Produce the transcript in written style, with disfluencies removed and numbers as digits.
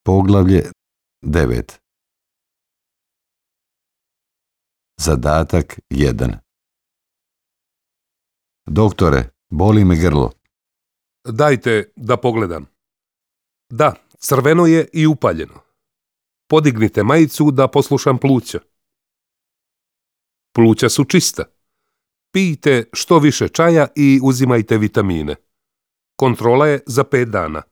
Poglavlje 9. Zadatak 1. Doktore, boli me grlo. Dajte da pogledam. Da, crveno je i upaljeno. Podignite majicu da poslušam pluća. Pluća su čista. Pijte što više čaja i uzimajte vitamine. Kontrola je za 5 dana.